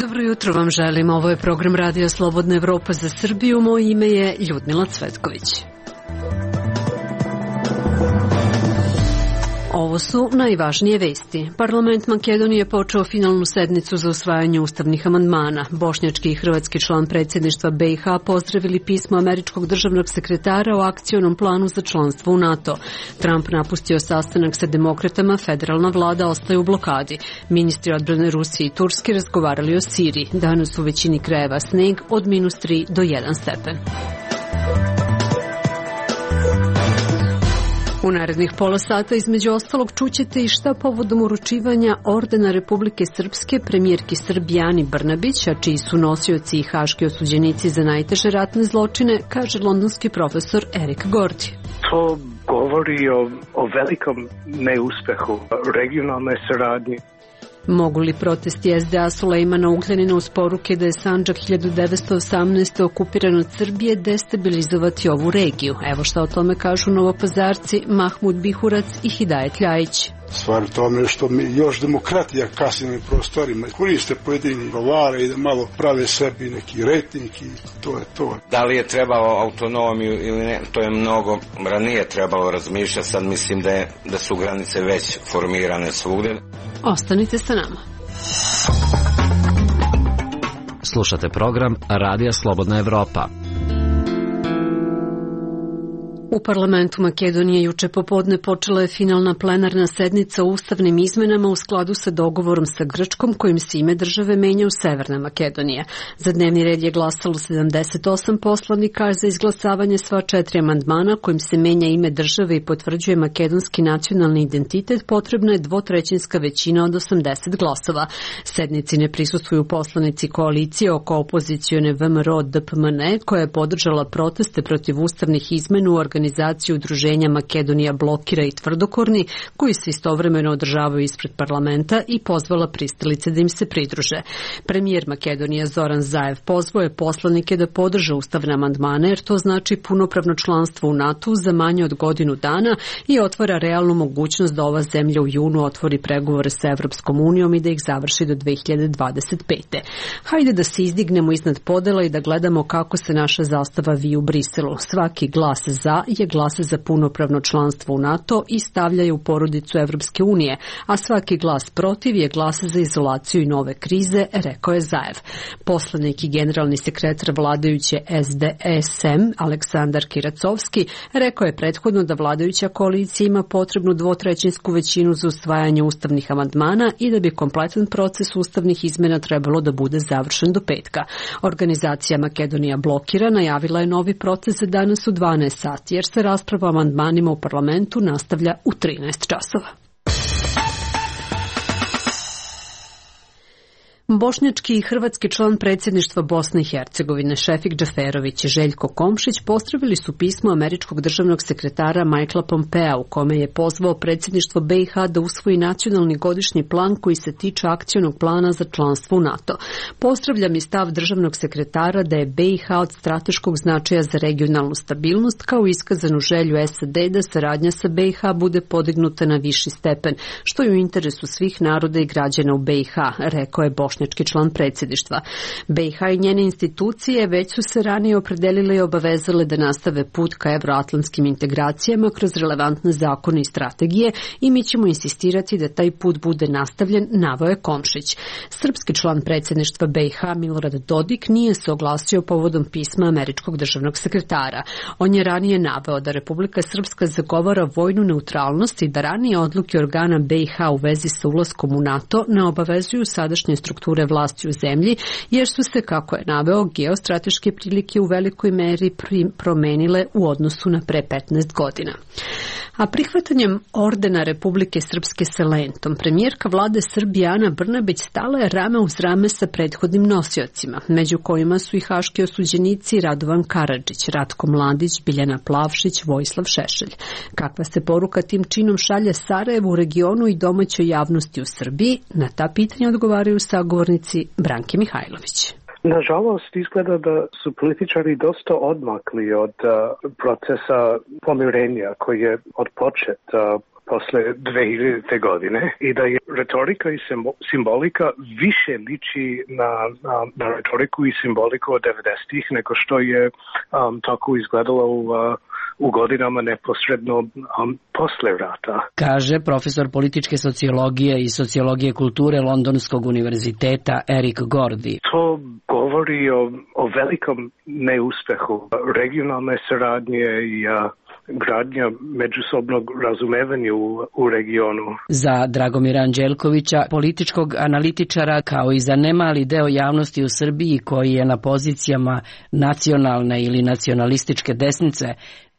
Dobro jutro vam želim. Ovo je program Radija Slobodna Evropa za Srbiju. Moje ime je Ljudmila Cvetković. Ovo su najvažnije vesti. Parlament Makedonije počeo finalnu sednicu za usvajanje ustavnih amandmana. Bošnjački i hrvatski član predsjedništva BiH pozdravili pismo američkog državnog sekretara o akcionom planu za članstvo u NATO. Trump napustio sastanak sa demokratama, federalna vlada ostaje u blokadi. Ministri odbrane Rusije i Turske razgovarali o Siriji. Danas u većini krajeva sneg od -3 do 1 stepen. U narednih pola sata između ostalog čućete i šta povodom uručivanja ordena Republike Srpske premijerki Srbije Ani Brnabić, a čiji su nosioci i haški osuđenici za najteže ratne zločine, kaže londonski profesor Erik Gordi. To govori o velikom neuspehu regionalne saradnje. Mogu li protesti SDA Sulejmana Ugljanina uz poruke da je Sandžak 1918. okupiran od Srbije destabilizovati ovu regiju? Evo šta o tome kažu novopazarci Mahmud Bihurac i Hidajet Ljajić. Stvar u tome što mi još demokratija kasnim prostorima koriste pojedini govare i da malo prave sebi neki rejting i to je to. Da li je trebalo autonomiju ili ne, to je mnogo ranije trebalo razmišljati, sad mislim da su granice već formirane svugdje. Ostanite sa nama. Slušate program Radija Slobodna Evropa. U parlamentu Makedonije juče popodne počela je finalna plenarna sednica o ustavnim izmenama u skladu sa dogovorom sa Grčkom kojim se ime države menja u Severna Makedonija. Za dnevni red je glasalo 78 poslanika, a za izglasavanje sva 4 amandmana kojim se menja ime države i potvrđuje makedonski nacionalni identitet potrebna je dvotrećinska većina od 80 glasova. Sednici ne prisustvuju poslanici koalicije oko opozicione VMRO DPMNE koja je podržala proteste protiv ustavnih izmena u organizaciju udruženja Makedonija blokira i tvrdokorni, koji se istovremeno održavaju ispred parlamenta i pozvala pristalice da im se pridruže. Premijer Makedonija Zoran Zaev pozvao je poslanike da podrže ustavne amandmane jer to znači punopravno članstvo u NATO za manje od godinu dana i otvara realnu mogućnost da ova zemlja u junu otvori pregovore sa Evropskom unijom i da ih završi do 2025. Hajde da se izdignemo iznad podela i da gledamo kako se naša zastava vije u Briselu. Svaki glas za je glas za punopravno članstvo u NATO i stavljaju u porodicu Evropske unije, a svaki glas protiv je glas za izolaciju i nove krize, rekao je Zaev. Poslanik i generalni sekretar vladajuće SDSM Aleksandar Kiracovski rekao je prethodno da vladajuća koalicija ima potrebnu dvotrećinsku većinu za usvajanje ustavnih amandmana i da bi kompletan proces ustavnih izmena trebalo da bude završen do petka. Organizacija Makedonija blokira najavila je novi proces za danas u 12 sati, jer se rasprava o amandmanima u parlamentu nastavlja u 13 časova. Bošnjački i hrvatski član predsjedništva Bosne i Hercegovine Šefik Džaferović i Željko Komšić pozdravili su pismo američkog državnog sekretara Michaela Pompea u kome je pozvao predsjedništvo BiH da usvoji nacionalni godišnji plan koji se tiče akcionog plana za članstvo u NATO. Pozdravljam i stav državnog sekretara da je BiH od strateškog značaja za regionalnu stabilnost kao iskazanu želju SAD da saradnja sa BiH bude podignuta na viši stepen, što je u interesu svih naroda i građana u BiH, rekao je bošnjački član predsjedništva. BiH i njene institucije već su se ranije opredelile i obavezale da nastave put ka evroatlantskim integracijama kroz relevantne zakone i strategije i mi ćemo insistirati da taj put bude nastavljen, naveo je Komšić. Srpski član predsjedništva BiH Milorad Dodik nije se oglasio povodom pisma američkog državnog sekretara. On je ranije naveo da Republika Srpska zagovara vojnu neutralnost i da ranije odluke organa BiH u vezi sa ulaskom u NATO ne obavezuju sadašnje strukture vlasti u zemlji, jer su se, kako je naveo, geostrateške prilike u velikoj meri promenile u odnosu na pre 15 godina. A prihvatanjem ordena Republike Srpske sa lentom, premijerka vlade Srbije Ana Brnabić stala je rame uz rame sa prethodnim nosiocima, među kojima su i haški osuđenici Radovan Karadžić, Ratko Mladić, Biljana Plavšić, Vojislav Šešelj. Kakva se poruka tim činom šalje Sarajevu, regionu i domaćoj javnosti u Srbiji? Na ta pitanja odgovaraju sagovornici Branke Mihajlović. Nažalost, izgleda da su političari dosta odmakli od procesa pomirenja koji je odpočet posle 2000. godine i da je retorika i simbolika više liči na retoriku i simboliku od 90-ih nego što je tako izgledalo u godinama neposredno posle rata. Kaže profesor političke sociologije i sociologije kulture Londonskog univerziteta Eric Gordy. To govori o velikom neuspehu regionalne saradnje i gradnja međusobnog razumevanja u regionu. Za Dragomira Anđelkovića, političkog analitičara, kao i za nemali deo javnosti u Srbiji koji je na pozicijama nacionalne ili nacionalističke desnice,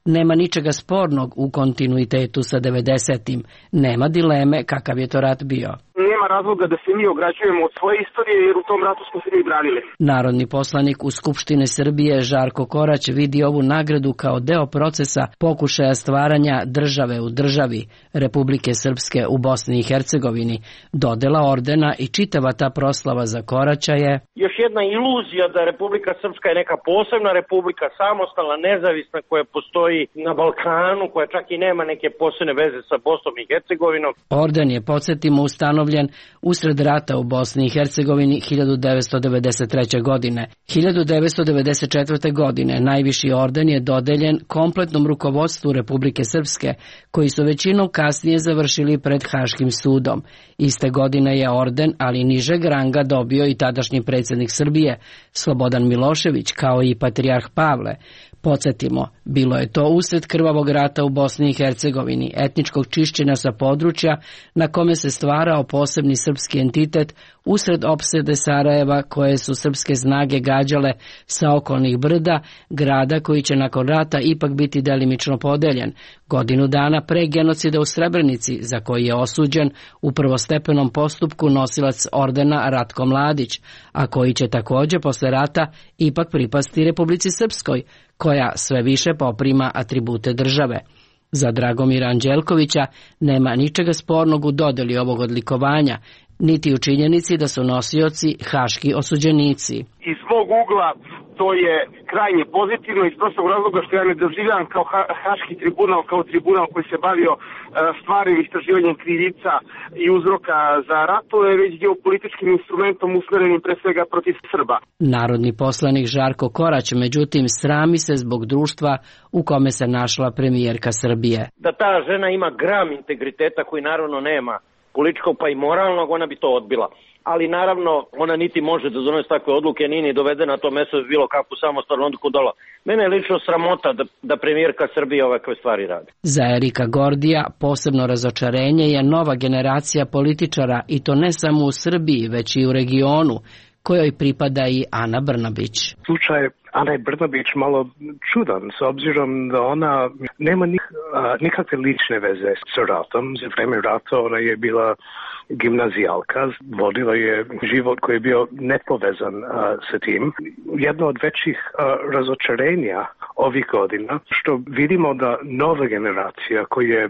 nema ničega spornog u kontinuitetu sa 90-im. Nema dileme kakav je to rat bio. Nema razloga da se mi ograđujemo od svoje istorije, jer u tom ratu smo se mi branili. Narodni poslanik u Skupštine Srbije Žarko Korać vidi ovu nagradu kao deo procesa pokušaja stvaranja države u državi Republike Srpske u Bosni i Hercegovini. Dodela ordena i čitava ta proslava za Koraća je još jedna iluzija da Republika Srpska je neka posebna republika, samostalna, nezavisna, koja postoji na Balkanu, koja čak i nema neke posebne veze sa Bosnom i Hercegovinom. Orden je, podsjetimo, ustanovljen usred rata u Bosni i Hercegovini 1993. godine. 1994. godine najviši orden je dodeljen kompletnom rukovodstvu Republike Srpske, koji su većinom kasnije završili pred Haškim sudom. Iste godine je orden, ali nižeg ranga, dobio i tadašnji predsjednik Srbije, Slobodan Milošević, kao i patrijarh Pavle. Podsjetimo, bilo je to usred krvavog rata u Bosni i Hercegovini, etničkog čišćenja sa područja na kome se stvarao posebni srpski entitet usred opsede Sarajeva, koje su srpske snage gađale sa okolnih brda, grada koji će nakon rata ipak biti delimično podeljen, godinu dana pre genocida u Srebrenici, za koji je osuđen u prvostepenom postupku nosilac ordena Ratko Mladić, a koji će također posle rata ipak pripasti Republici Srpskoj, koja sve više poprima atribute države. Za Dragomira Anđelkovića nema ničega spornog u dodeli ovog odlikovanja, niti u činjenici da su nosioci haški osuđenici. Iz mog ugla to je krajnje pozitivno iz prostog razloga što ja ne doživljam kao haški tribunal, kao tribunal koji se bavio stvarnim istraživanjem krivica i uzroka za ratove, već geopolitičkim instrumentom usmerenim pre svega protiv Srba. Narodni poslanik Žarko Korać, međutim, srami se zbog društva u kome se našla premijerka Srbije. Da ta žena ima gram integriteta koji naravno nema političkog pa i moralnog, ona bi to odbila. Ali naravno ona niti može da donese takve odluke, nije ni dovedena na to mesto bilo kakvu samostalnu odluku dola. Mene je lično sramota da premijerka Srbije ovakve stvari radi. Za Erika Gordija posebno razočarenje je nova generacija političara, i to ne samo u Srbiji, već i u regionu, kojoj pripada i Ana Brnabić. Slučaj Ane Brnabić malo čudan, s obzirom da ona nema nikakve lične veze sa ratom. Za vreme rata ona je bila gimnazijalka, vodila je život koji je bio nepovezan sa tim. Jedno od većih razočarenja ovih godina, što vidimo da nova generacija koja je,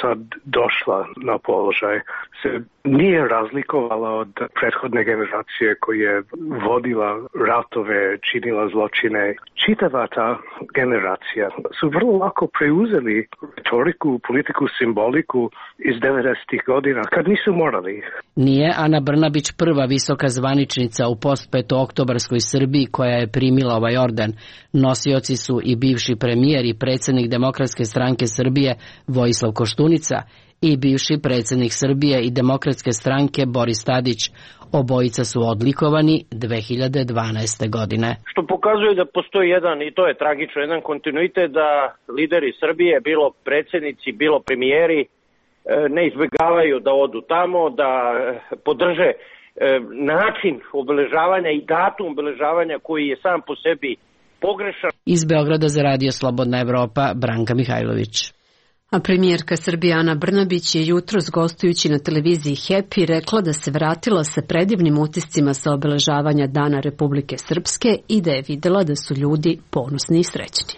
sad došla na položaj, se nije razlikovala od prethodne generacije koja je vodila ratove, činila zločine. Čitava ta generacija su vrlo lako preuzeli retoriku, politiku, simboliku iz 90-ih godina, kad nisu morali. Nije Ana Brnabić prva visoka zvaničnica u postpetooktobarskoj Srbiji koja je primila ovaj orden. Nosioci su i bivši premijer i predsjednik Demokratske stranke Srbije Vojislav Koštunica i bivši predsjednik Srbije i Demokratske stranke Boris Tadić. Obojica su odlikovani 2012. godine. Što pokazuje da postoji jedan, i to je tragično, jedan kontinuitet da lideri Srbije, bilo predsjednici, bilo premijeri, ne izbjegavaju da odu tamo, da podrže način obeležavanja i datum obeležavanja koji je sam po sebi pogrešan. Iz Beograda za Radio Slobodna Evropa, Branka Mihajlović. A premijerka Srbije Ana Brnabić je jutros gostujući na televiziji Happy rekla da se vratila sa predivnim utiscima sa obeležavanja Dana Republike Srpske i da je videla da su ljudi ponosni i srećni.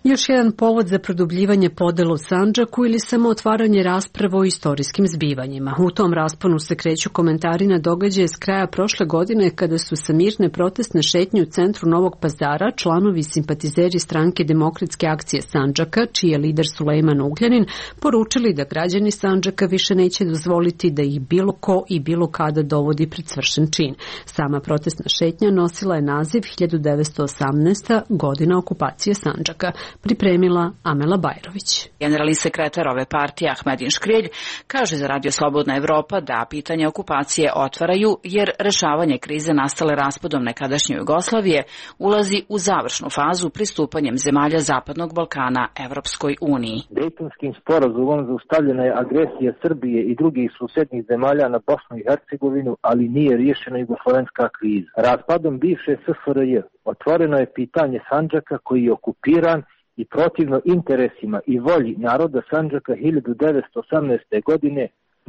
Još jedan povod za produbljivanje podela u Sandžaku ili samo otvaranje rasprava o istorijskim zbivanjima. U tom rasponu se kreću komentari na događaje s kraja prošle godine kada su sa mirne protestne šetnje u centru Novog Pazara članovi i simpatizeri stranke Demokratske akcije Sandžaka, čiji je lider Sulejman Ugljanin, poručili da građani Sandžaka više neće dozvoliti da ih bilo ko i bilo kada dovodi pred svršen čin. Sama protestna šetnja nosila je naziv 1918. godina okupacije Sandžaka. Pripremila Amela Bajrović. Generalni sekretar ove partije Ahmedin Škrilj kaže za Radio Slobodna Evropa da pitanje okupacije otvaraju jer rešavanje krize nastale raspadom nekadašnje Jugoslavije ulazi u završnu fazu pristupanjem zemalja Zapadnog Balkana Evropskoj uniji. Dejtonskim sporazumom zaustavljena je agresija Srbije i drugih susednih zemalja na Bosnu i Hercegovinu, ali nije riješena jugoslovenska kriza. Raspadom bivše SFRJ otvoreno je pitanje Sandžaka koji je okupiran i protivno interesima i volji naroda Sandžaka 1918. godine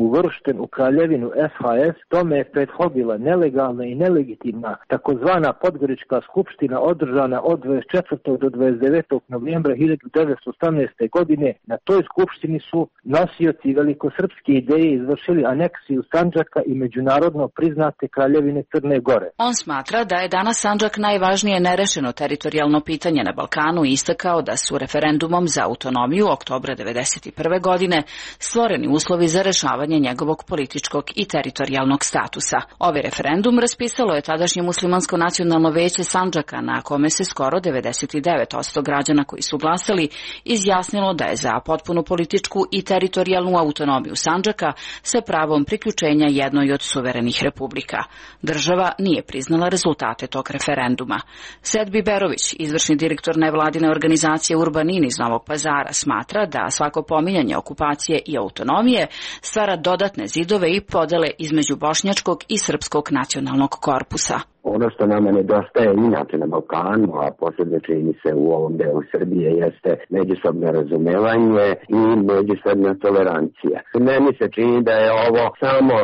uvršten u kraljevinu SHS, tome je prethodila nelegalna i nelegitimna takozvana Podgorička skupština održana od 24. do 29. novembra 1918. godine. Na toj skupštini su nosioci velikosrpske ideje izvršili aneksiju Sandžaka i međunarodno priznate kraljevine Crne Gore. On smatra da je danas Sandžak najvažnije nerešeno teritorijalno pitanje na Balkanu i istakao da su referendumom za autonomiju oktobra 1991. godine stvoreni uslovi za rešavanje njegovog političkog i teritorijalnog statusa. Ovaj referendum raspisalo je tadašnje muslimansko nacionalno veće Sandžaka, na kome se skoro 99% građana koji su glasali izjasnilo da je za potpunu političku i teritorijalnu autonomiju Sandžaka sa pravom priključenja jednoj od suverenih republika. Država nije priznala rezultate tog referenduma. Sedbi Berović, izvršni direktor nevladine organizacije Urbanin iz Novog Pazara, smatra da svako pominjanje okupacije i autonomije stvara dodatne zidove i podele između bošnjačkog i srpskog nacionalnog korpusa. Ono što nama nedostaje inače na Balkanu, a posebno čini se u ovom delu Srbije, jeste međusobno razumevanje i međusobna tolerancija. Meni se čini da je ovo samo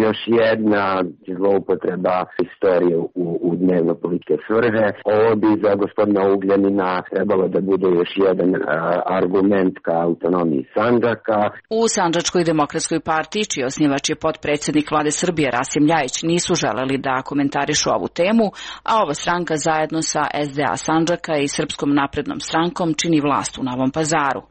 još jedna zloupotreba istorije u dnevno političke svrhe. Ovo bi za gospodina Ugljanina trebalo da bude još jedan argument ka autonomiji Sandžaka. U Sandžačkoj demokratskoj partiji, čiji osnivač je potpredsednik vlade Srbije Rasim Ljajić, nisu želeli da komentarišu ovu temu, a ova stranka zajedno sa SDA Sandžaka i Srpskom naprednom strankom čini vlast u Novom Pazaru.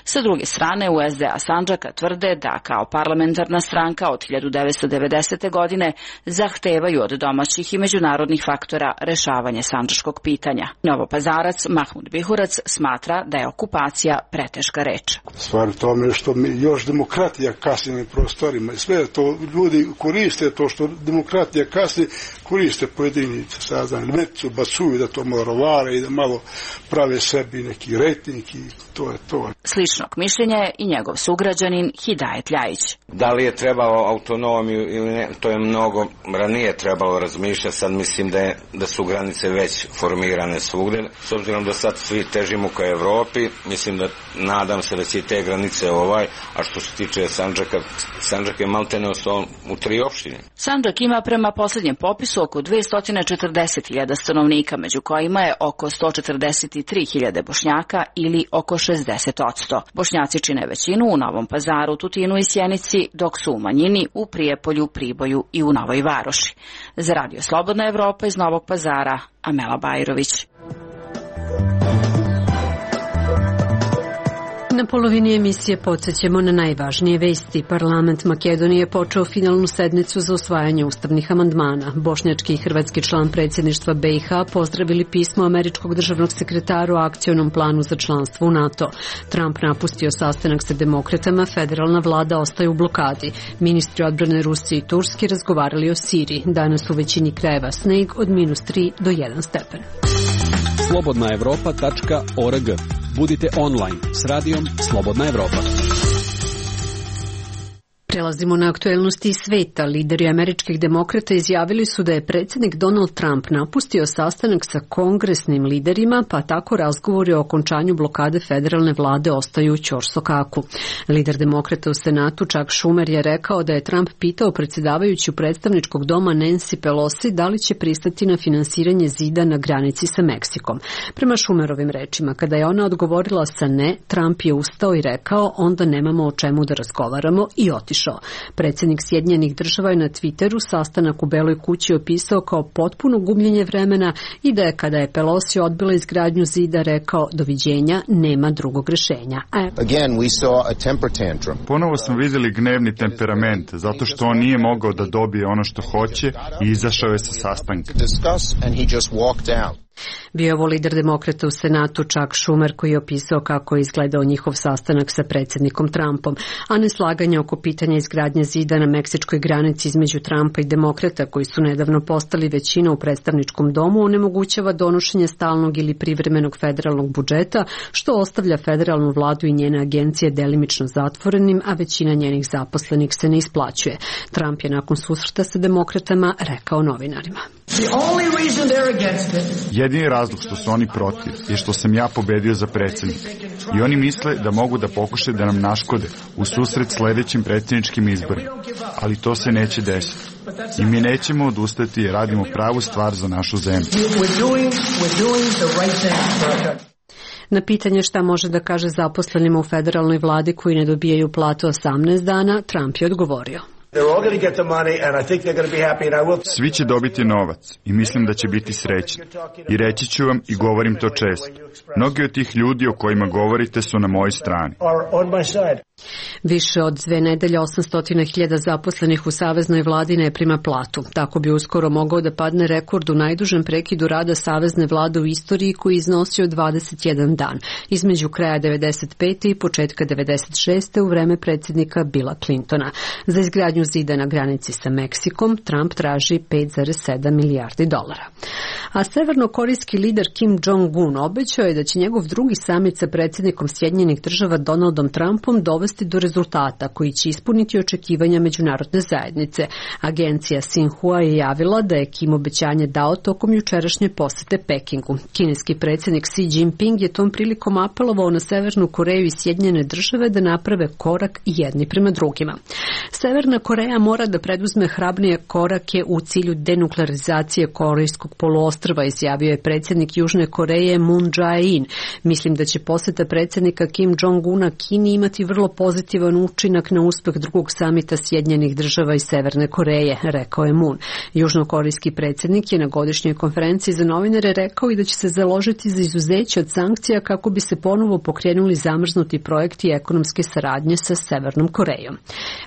Sa druge strane, u SDA Sandžaka tvrde da kao parlamentarna stranka od 1990. godine zahtevaju od domaćih i međunarodnih faktora rešavanje sandžačkog pitanja. Novopazarac Mahmud Bihurac smatra da je okupacija preteška reč. Stvar u tome što mi još demokratija kasni na prostorima i sve to ljudi koriste to što demokratija kasni, koriste pojedini metu, bacuju da to malo rovare i da malo prave sebi neki rejting i to je to. Sličnog mišljenja je i njegov sugrađanin Hidajet Ljajić. Da li je trebalo autonomiju ili ne, to je mnogo ranije trebalo razmišljati, sad mislim da su granice već formirane svugde. S obzirom da sad svi težimo ka Evropi, mislim da nadam se da će te granice a što se tiče Sandžaka, Sandžak je maltene ostao u 3 opštine. Sandžak ima prema poslednjem popisu oko 240.000 stanovnika, među kojima je oko 143.000 Bošnjaka ili oko 60%. Bošnjaci čine većinu u Novom Pazaru, Tutinu i Sjenici, dok su u manjini u Prijepolju, Priboju i u Novoj Varoši. Za Radio Slobodna Evropa iz Novog Pazara, Amela Bajrović. Na polovini emisije podsjećamo na najvažnije vesti. Parlament Makedonije počeo finalnu sednicu za usvajanje ustavnih amandmana. Bošnjački i hrvatski član predsjedništva BiH pozdravili pismo američkog državnog sekretara o akcionom planu za članstvo u NATO. Trump napustio sastanak sa demokratama, federalna vlada ostaje u blokadi. Ministri odbrane Rusije i Turske razgovarali o Siriji. Danas u većini krajeva sneg od -3 do 1 stepen. slobodnaevropa.org. Budite online s radijom Slobodna Evropa. Prelazimo na aktuelnosti iz sveta. Lideri američkih demokrata izjavili su da je predsjednik Donald Trump napustio sastanak sa kongresnim liderima, pa tako razgovori o okončanju blokade federalne vlade ostaju u ćorsokaku. Lider demokrata u Senatu Chuck Schumer je rekao da je Trump pitao predsjedavajuću predstavničkog doma Nancy Pelosi da li će pristati na finansiranje zida na granici sa Meksikom. Prema Schumerovim rečima, kada je ona odgovorila sa ne, Trump je ustao i rekao onda nemamo o čemu da razgovaramo i otišao. Predsjednik Sjedinjenih Država je na Twitteru sastanak u Beloj kući opisao kao potpuno gubljenje vremena i da je kada je Pelosi odbila izgradnju zida rekao doviđenja, nema drugog rješenja. Ponovo smo vidjeli gnevni temperament zato što on nije mogao da dobije ono što hoće i izašao je sa sastanka. Bio je ovo lider demokrata u Senatu Chuck Schumer koji je opisao kako je izgledao njihov sastanak sa predsjednikom Trumpom, a neslaganje oko pitanja izgradnje zida na meksičkoj granici između Trumpa i demokrata koji su nedavno postali većina u predstavničkom domu onemogućava donošenje stalnog ili privremenog federalnog budžeta, što ostavlja federalnu vladu i njene agencije delimično zatvorenim, a većina njenih zaposlenih se ne isplaćuje. Trump je nakon susreta sa demokratama rekao novinarima. Jedini razlog što su oni protiv je što sam ja pobedio za predsjednika i oni misle da mogu da pokušaju da nam naškode u susret sljedećim predsjedničkim izborima, ali to se neće desiti. I mi nećemo odustati jer radimo pravu stvar za našu zemlju. Na pitanje šta može da kaže zaposlenima u federalnoj vladi koji ne dobijaju platu 18 dana, Trump je odgovorio. Svi će dobiti novac i mislim da će biti srećni. I reći ću vam i govorim to često. Mnogi od tih ljudi o kojima govorite su na mojoj strani. Više od 2 nedelje 800.000 zaposlenih u saveznoj vladi ne prima platu. Tako bi uskoro mogao da padne rekord u najdužem prekidu rada savezne vlade u istoriji koji je iznosio 21 dan, između kraja 95. i početka 96. u vreme predsjednika Billa Clintona. Za izgradnju zida na granici sa Meksikom Trump traži $5,7 milijardi. A severnokorejski lider Kim Jong-un obećao je da će njegov drugi samit sa predsjednikom Sjedinjenih Država Donaldom Trumpom dovesti do rezultata koji će ispuniti očekivanja međunarodne zajednice. Agencija Xinhua je javila da je Kim obećanje dao tokom jučerašnje posete Pekingu. Kineski predsjednik Xi Jinping je tom prilikom apelovao na Severnu Koreju i Sjedinjene Države da naprave korak jedni prema drugima. Severna Koreja mora da preduzme hrabrije korake u cilju denuklearizacije Korejskog poluostrva, izjavio je predsjednik Južne Koreje Moon Jae-in. Mislim da će poseta predsjednika Kim Jong-una Kini imati vrlo pozitivan učinak na uspeh drugog samita Sjedinjenih Država i Severne Koreje, rekao je Moon. Južnokorejski predsjednik je na godišnjoj konferenciji za novinare rekao i da će se založiti za izuzeće od sankcija kako bi se ponovo pokrenuli zamrznuti projekti ekonomske saradnje sa Severnom Korejom.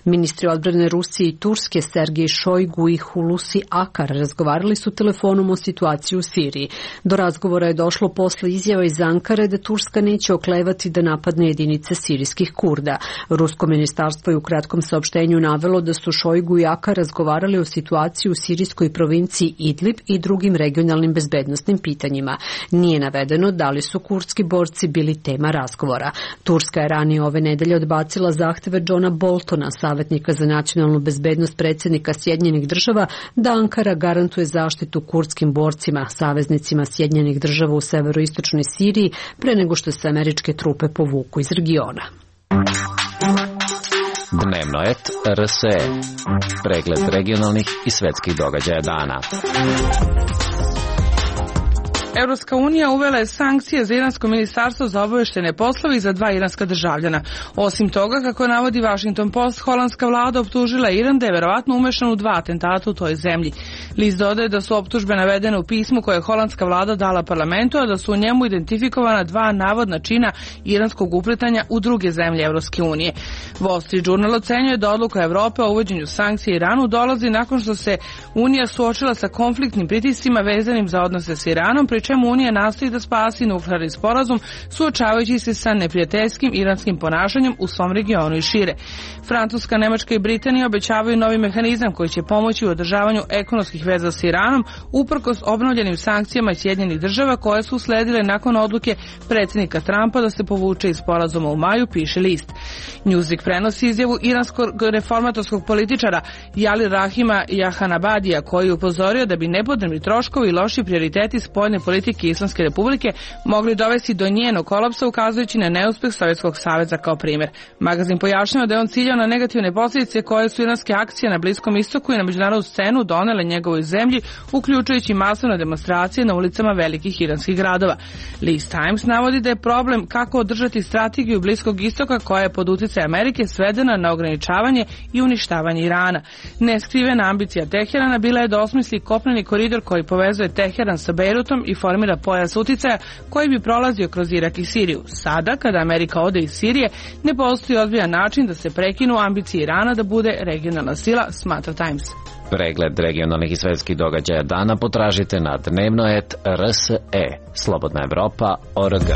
Ministri odbrane Rusije i Turske Sergej Šojgu i Hulusi Akar razgovarali su telefonom o situaciji u Siriji. Do razgovora je došlo posle izjava iz Ankare da Turska neće oklevati da napadne jedinice sirijskih Kurda. Rusko ministarstvo je u kratkom saopštenju navelo da su Šojgu i Akar razgovarali o situaciji u sirijskoj provinciji Idlib i drugim regionalnim bezbednosnim pitanjima. Nije navedeno da li su kurdski borci bili tema razgovora. Turska je ranije ove nedelje odbacila zahteve Johna Boltona, savjetnika za nacionalnu bezbednost predsjednika Sjedinjenih Država, da Ankara garantuje zaštitu kurdskim borcima, saveznicima Sjedinjenih Država u severoistočnoj Siriji, pre nego što se američke trupe povuku iz regiona. Dnevno et RSE. Pregled regionalnih i svetskih događaja dana. Evropska unija uvela je sankcije za iransko ministarstvo za obaveštene poslove i za 2 iranska državljana. Osim toga, kako navodi Washington Post, holandska vlada optužila Iran da je verovatno umešan u 2 atentata u toj zemlji. List dodaje da su optužbe navedene u pismu koje je holandska vlada dala parlamentu, a da su u njemu identifikovana 2 navodna čina iranskog upletanja u druge zemlje Evropske unije. Wall Street Journal ocenjuje da odluka Evrope o uvođenju sankcija Iranu dolazi nakon što se Unija suočila sa konfliktnim pritiscima vezanim za odnose s Iranom, pri čemu Unija nastoji da spasi nuklearni sporazum, suočavajući se sa neprijateljskim iranskim ponašanjem u svom regionu i šire. Francuska, Nemačka i Britanija obećavaju novi mehanizam koji će pomoći u održavanju ekonomskih veza s Iranom, uprkos obnovljenim sankcijama Sjedinjenih država koje su usledile nakon odluke predsjednika Trumpa da se povuče iz sporazuma u maju, piše list. Newsweek prenosi izjavu iranskog reformatorskog političara Jali Rahima Jahanabadija, koji je upozorio da bi nepotrebni troškovi i loši prioriteti spoljne politike Islamske republike mogli dovesti do njenog kolapsa, ukazujući na neuspeh Sovjetskog saveza kao primjer. Magazin pojašnjava da je on ciljao na negativne posljedice koje su iranske akcije na Bliskom istoku i na međunarodnu scenu donele njegovoj zemlji, uključujući masovne demonstracije na ulicama velikih iranskih gradova. List Times navodi da je problem kako održati strategiju Bliskog istoka koja je pod utjecaj Amerike svedena na ograničavanje i uništavanje Irana. Neskrivena ambicija Teherana bila je da osmisli kopneni koridor koji povezuje Teheran sa Bejrutom i formira pojas uticaja koji bi prolazio kroz Irak i Siriju. Sada, kada Amerika ode iz Sirije, ne postoji ozbiljan način da se prekinu ambicije Irana da bude regionalna sila, smatra Times. Pregled regionalnih i svetskih događaja dana potražite na dnevno.rse. Slobodna Evropa.org.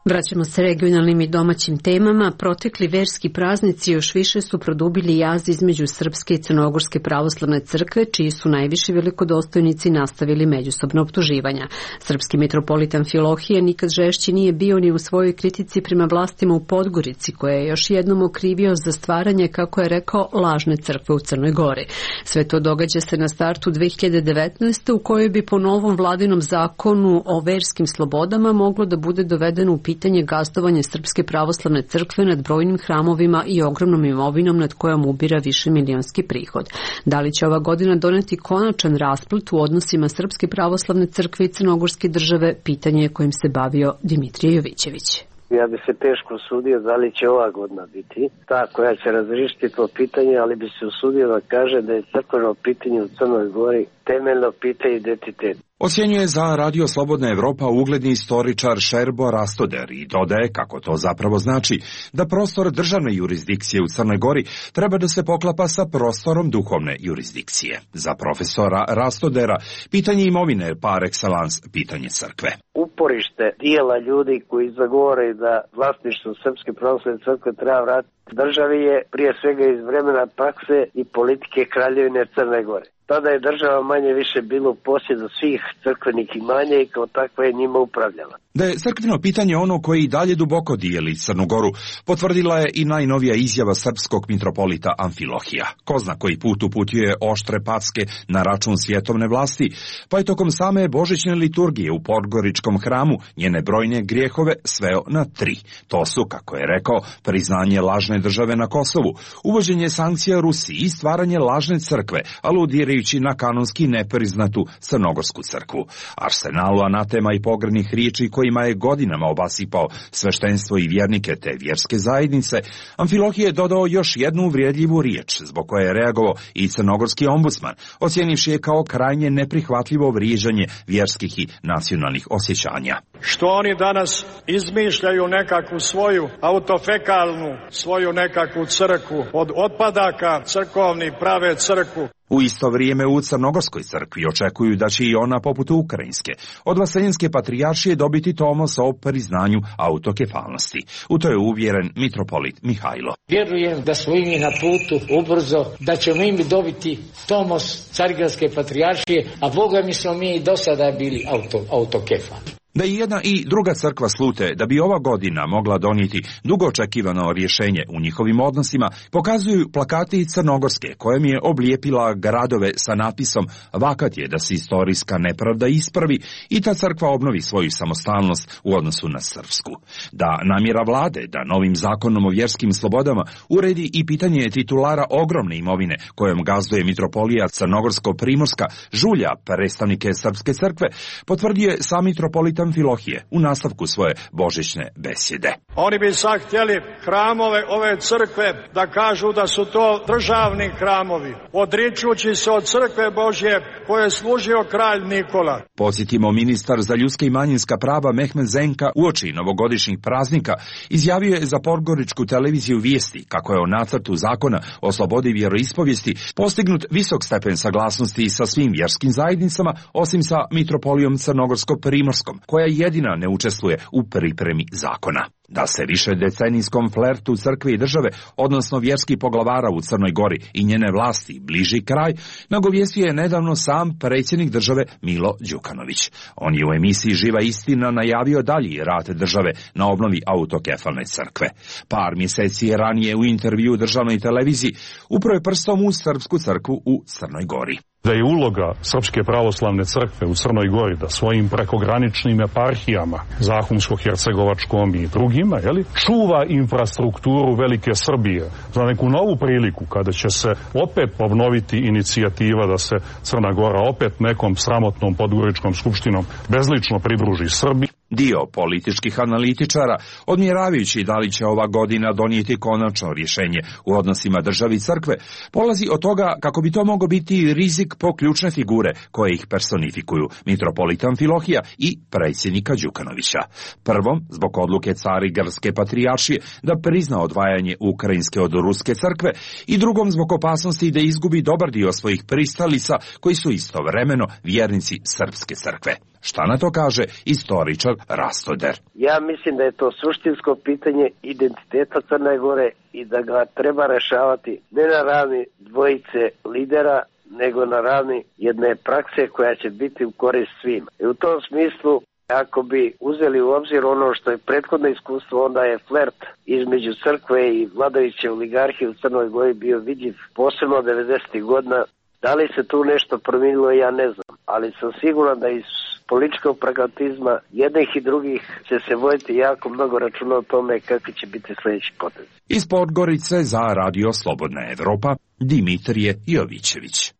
Vraćamo se regionalnim i domaćim temama. Protekli verski praznici još više su produbili jaz između Srpske i Crnogorske pravoslavne crkve, čiji su najviši velikodostojnici nastavili međusobno optuživanja. Srpski mitropolit Amfilohije nikad žešći nije bio ni u svojoj kritici prema vlastima u Podgorici, koje je još jednom okrivio za stvaranje, kako je rekao, lažne crkve u Crnoj Gori. Sve to događa se na startu 2019. u kojoj bi po novom vladinom zakonu o verskim slobodama moglo da bude dovedeno u pitanje gazdovanje Srpske pravoslavne crkve nad brojnim hramovima i ogromnom imovinom nad kojom ubira višemilionski prihod. Da li će ova godina doneti konačan rasplet u odnosima Srpske pravoslavne crkve i Crnogorske države, pitanje je kojim se bavio Dimitrije Jovićević. Ja bi se teško usudio da li će ova godina biti ta koja će razriješiti to pitanje, ali bi se usudio da kaže da je crkveno pitanje u Crnoj Gori temeljno pitanje identitet. Ocjenjuje za Radio Slobodna Evropa ugledni istoričar Šerbo Rastoder i dodaje kako to zapravo znači da prostor državne jurisdikcije u Crnoj Gori treba da se poklapa sa prostorom duhovne jurisdikcije. Za profesora Rastodera pitanje imovine je par excellence pitanje crkve. Uporište dijela ljudi koji zagovore da vlasništvo Srpske pravoslavne crkve treba vratiti državi je prije svega iz vremena prakse i politike Kraljevine Crne Gore. Tada je država manje više bilo u posjedu svih crkvenih imanja i kao takva je njima upravljala. Da je crkveno pitanje ono koje i dalje duboko dijeli Crnu Goru, potvrdila je i najnovija izjava srpskog mitropolita Amfilohija. Ko zna koji put uputio oštre packe na račun svjetovne vlasti, pa je tokom same božićne liturgije u Podgoričkom hramu njene brojne grijehove sveo na 3. To su, kako je rekao, priznanje lažne države na Kosovu, uvođenje sankcija Rusiji i stvaranje lažne crkve, aludirajući na kanonski nepriznatu Crnogorsku crkvu. Arsenalu anatema i pogrdnih riječi kojima je godinama obasipao sveštenstvo i vjernike te vjerske zajednice, Amfilohije je dodao još jednu uvrijedljivu riječ, zbog koje je reagovao i crnogorski ombudsman, ocjenivši je kao krajnje neprihvatljivo vrijeđanje vjerskih i nacionalnih osjećanja. Što oni danas izmišljaju nekakvu svoju autofekalnu, svoju nekakvu crkvu, od otpadaka crkovni prave crkvu. U isto vrijeme u Crnogorskoj crkvi očekuju da će i ona, poput ukrajinske, od Vaseljenske patrijaršije dobiti tomos o priznanju autokefalnosti. U to je uvjeren mitropolit Mihajlo. Vjerujem da smo mi na putu ubrzo, da ćemo im dobiti tomos Carigradske patrijaršije, a Boga mi smo mi i do sada bili autokefali. Da i jedna i druga crkva slute da bi ova godina mogla donijeti dugo očekivano rješenje u njihovim odnosima, pokazuju plakati Crnogorske, kojem je oblijepila gradove sa natpisom "Vakat je da se istorijska nepravda ispravi" i ta crkva obnovi svoju samostalnost u odnosu na srpsku. Da namjera vlade da novim zakonom o vjerskim slobodama uredi i pitanje titulara ogromne imovine kojom gazduje mitropolija Crnogorsko-Primorska žulja predstavnike Srpske crkve, potvrdio je sam mitropolit Amfilohije u nastavku svoje božićne besjede. Oni bi sad htjeli hramove ove crkve da kažu da su to državni hramovi, odričući se od crkve Božje koje je služio kralj Nikola. Podsjetimo, ministar za ljudska i manjinska prava Mehmed Zenka uoči novogodišnjih praznika izjavio je za podgoričku televiziju Vijesti kako je o nacrtu zakona o slobodi vjeroispovijesti postignut visok stepen saglasnosti sa svim vjerskim zajednicama, osim sa mitropolijom Crnogorsko-Primorskom, koja jedina ne učestvuje u pripremi zakona. Da se više decenijskom flertu crkve i države, odnosno vjerskih poglavara u Crnoj Gori i njene vlasti bliži kraj, nagovijestio je nedavno sam predsjednik države Milo Đukanović. On je u emisiji Živa istina najavio dalji rad države na obnovi autokefalne crkve. Par mjeseci je ranije u intervju državnoj televiziji upravo je prstom u srpsku crkvu u Crnoj Gori. Da je uloga Srpske pravoslavne crkve u Crnoj Gori da svojim prekograničnim eparhijama, Zahumsko-Hercegovačkom i drugima, čuva infrastrukturu Velike Srbije za neku novu priliku kada će se opet obnoviti inicijativa da se Crna Gora opet nekom sramotnom podgoričkom skupštinom bezlično pridruži Srbiji. Dio političkih analitičara, odmjeravajući da li će ova godina donijeti konačno rješenje u odnosima državi i crkve, polazi od toga kako bi to mogao biti rizik po ključne figure koje ih personifikuju, mitropolita Amfilohija i predsjednika Đukanovića. Prvom, zbog odluke Carigrske patrijaršije da prizna odvajanje Ukrajinske od Ruske crkve, i drugom zbog opasnosti da izgubi dobar dio svojih pristalica koji su istovremeno vjernici Srpske crkve. Šta na to kaže istoričar Rastoder? Ja mislim da je to suštinsko pitanje identiteta Crne Gore i da ga treba rešavati ne na ravni dvojice lidera, nego na ravni jedne prakse koja će biti u korist svima. I u tom smislu, ako bi uzeli u obzir ono što je prethodno iskustvo, onda je flert između crkve i vladajuće oligarhije u Crnoj Gori bio vidljiv, posebno 90. godina. Da li se tu nešto promijenilo, ja ne znam, ali sam siguran da iz političkog pragmatizma jednih i drugih će se voditi jako mnogo računa o tome kakvi će biti sljedeći potez. Iz Podgorice za Radio Slobodna Evropa, Dimitrije Jovićević.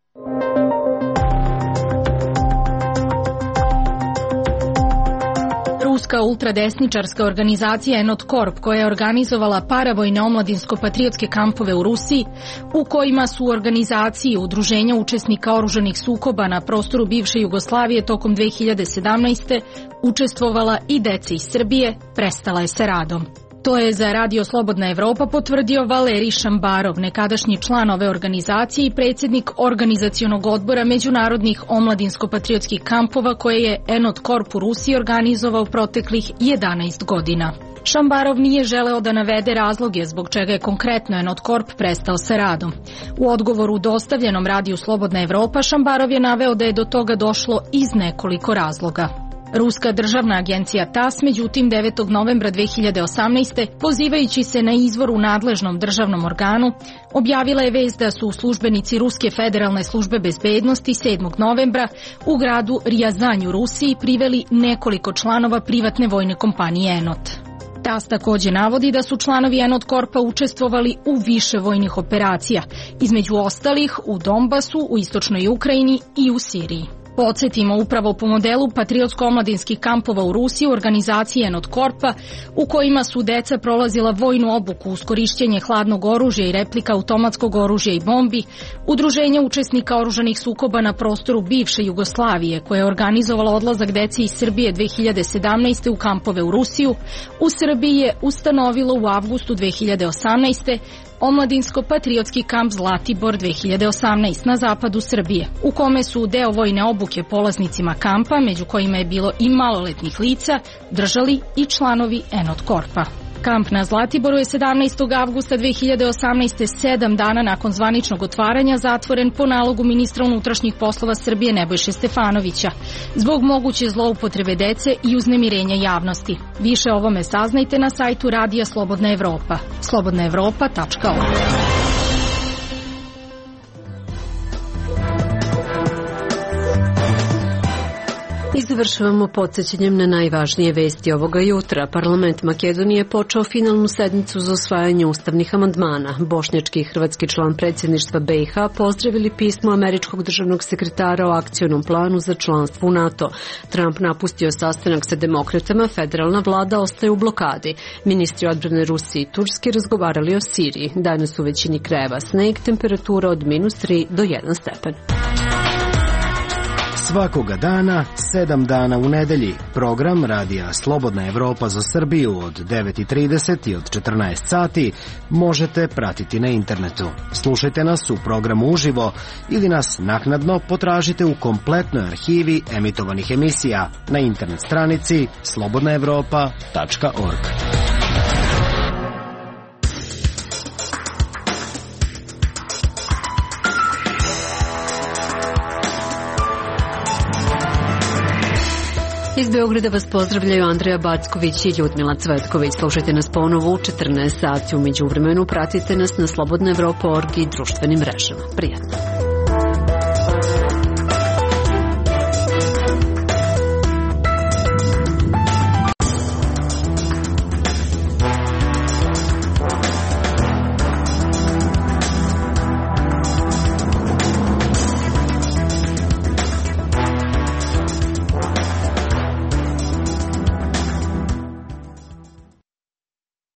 Ruska ultradesničarska organizacija Enot Corp, koja je organizovala paravojne omladinsko-patriotske kampove u Rusiji, u kojima su u organizaciji udruženja učesnika oružanih sukoba na prostoru bivše Jugoslavije tokom 2017. učestvovala i deca iz Srbije, prestala je sa radom. To je za Radio Slobodna Evropa potvrdio Valerij Šambarov, nekadašnji član ove organizacije i predsjednik organizacionog odbora međunarodnih omladinsko-patriotskih kampova koje je Enot Corp u Rusiji organizovao proteklih 11 godina. Šambarov nije želeo da navede razloge zbog čega je konkretno Enot Corp prestao sa radom. U odgovoru dostavljenom Radiju Slobodna Evropa Šambarov je naveo da je do toga došlo iz nekoliko razloga. Ruska državna agencija TASS, međutim, 9. novembra 2018. pozivajući se na izvor u nadležnom državnom organu, objavila je vest da su službenici Ruske federalne službe bezbednosti 7. novembra u gradu Rijazanj u Rusiji priveli nekoliko članova privatne vojne kompanije Enot. TASS takođe navodi da su članovi Enot Corpa učestvovali u više vojnih operacija, između ostalih u Donbasu, u istočnoj Ukrajini i u Siriji. Podsjetimo, upravo po modelu patriotsko-omladinskih kampova u Rusiji u organizaciji Enot Corpa, u kojima su deca prolazila vojnu obuku uz korišćenje hladnog oružja i replika automatskog oružja i bombi, udruženja učesnika oružanih sukoba na prostoru bivše Jugoslavije, koje je organizovalo odlazak dece iz Srbije 2017. u kampove u Rusiju, u Srbiji je ustanovilo u avgustu 2018. omladinsko-patriotski kamp Zlatibor 2018 na zapadu Srbije, u kome su deo vojne obuke polaznicima kampa, među kojima je bilo i maloletnih lica, držali i članovi Enot Corpa. Kamp na Zlatiboru je 17. avgusta 2018. 7 dana nakon zvaničnog otvaranja zatvoren po nalogu ministra unutrašnjih poslova Srbije Nebojše Stefanovića zbog moguće zloupotrebe dece i uznemirenja javnosti. Više o ovome saznajte na sajtu Radija Slobodna Evropa. slobodnaevropa.org. završavamo podsjećanjem na najvažnije vesti ovoga jutra. Parlament Makedonije je počeo finalnu sednicu za usvajanje ustavnih amandmana. Bošnjački i hrvatski član predsjedništva BiH pozdravili pismo američkog državnog sekretara o akcionom planu za članstvo u NATO. Trump napustio sastanak sa demokratama, federalna vlada ostaje u blokadi. Ministri odbrane Rusije i Turske razgovarali o Siriji. Danas u većini krajeva sneg, temperatura od -3 do 1 stepen. Svakoga dana, 7 dana u nedelji. Program radija Slobodna Evropa za Srbiju od 9:30 i od 14 sati možete pratiti na internetu. Slušajte nas u programu uživo ili nas naknadno potražite u kompletnoj arhivi emitovanih emisija na internet stranici slobodnaevropa.org. Iz Beograda vas pozdravljaju Andreja Backović i Ljudmila Cvetković. Slušajte nas ponovo u 14 sati. U međuvremenu pratite nas na slobodnaevropa.org i društvenim mrežama. Prijatno.